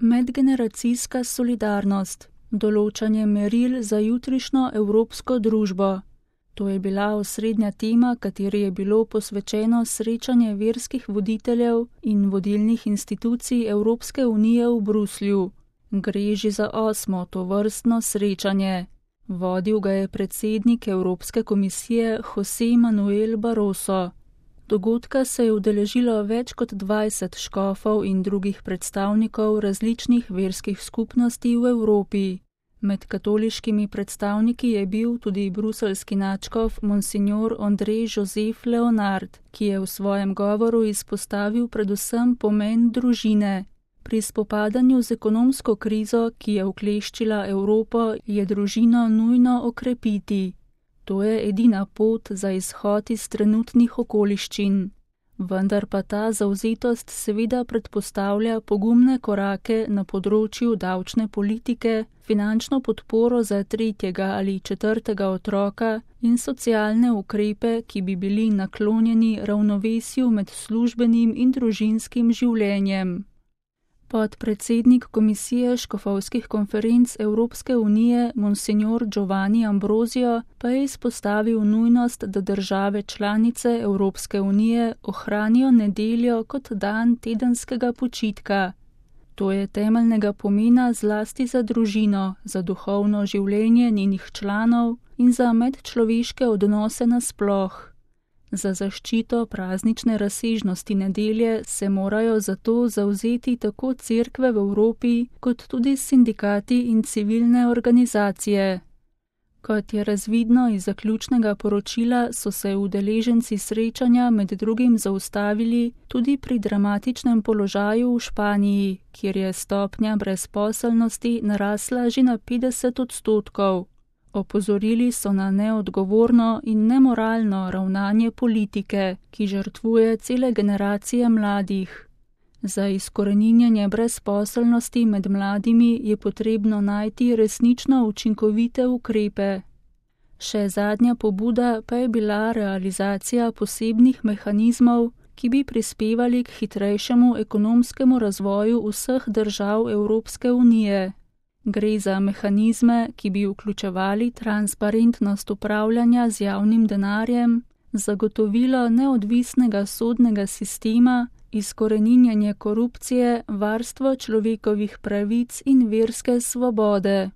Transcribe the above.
Medgeneracijska solidarnost. Določanje meril za jutrišnjo evropsko družbo. To je bila osrednja tema, kateri je bilo posvečeno srečanje verskih voditeljev in vodilnih institucij Evropske unije v Bruslju. Gre že za 8. tovrstno srečanje. Vodil ga je predsednik Evropske komisije José Manuel Barroso. Dogodka se je udeležilo več kot 20 škofov in drugih predstavnikov različnih verskih skupnosti v Evropi. Med katoliškimi predstavniki je bil tudi bruseljski nadškof Monsignor André Joseph Leonard, ki je v svojem govoru izpostavil predvsem pomen družine. Pri spopadanju z ekonomsko krizo, ki je ukleščila Evropo, je družino nujno okrepiti. To je edina pot za izhod iz trenutnih okoliščin. Vendar pa ta zavzetost seveda predpostavlja pogumne korake na področju davčne politike, finančno podporo za 3. ali 4. otroka in socialne ukrepe, ki bi bili naklonjeni ravnovesju med službenim in družinskim življenjem. Podpredsednik Komisije škofovskih konferenc Evropske unije Monsignor Giovanni Ambrosio pa je izpostavil nujnost, da države članice Evropske unije ohranijo nedeljo kot dan tedenskega počitka. To je temeljnega pomena zlasti za družino, za duhovno življenje njenih članov in za medčloveške odnose nasploh. Za zaščito praznične razsežnosti nedelje se morajo zato zavzeti tako cerkve v Evropi, kot tudi sindikati in civilne organizacije. Kot je razvidno iz zaključnega poročila, so se udeleženci srečanja med drugim zaustavili tudi pri dramatičnem položaju v Španiji, kjer je stopnja brezposelnosti narasla že na 50%. Opozorili so na neodgovorno in nemoralno ravnanje politike, ki žrtvuje cele generacije mladih. Za izkoreninjanje brezposelnosti med mladimi je potrebno najti resnično učinkovite ukrepe. Še zadnja pobuda pa je bila realizacija posebnih mehanizmov, ki bi prispevali k hitrejšemu ekonomskemu razvoju vseh držav Evropske unije. Gre za mehanizme, ki bi vključevali transparentnost upravljanja z javnim denarjem, zagotovilo neodvisnega sodnega sistema, izkoreninjanje korupcije, varstvo človekovih pravic in verske svobode.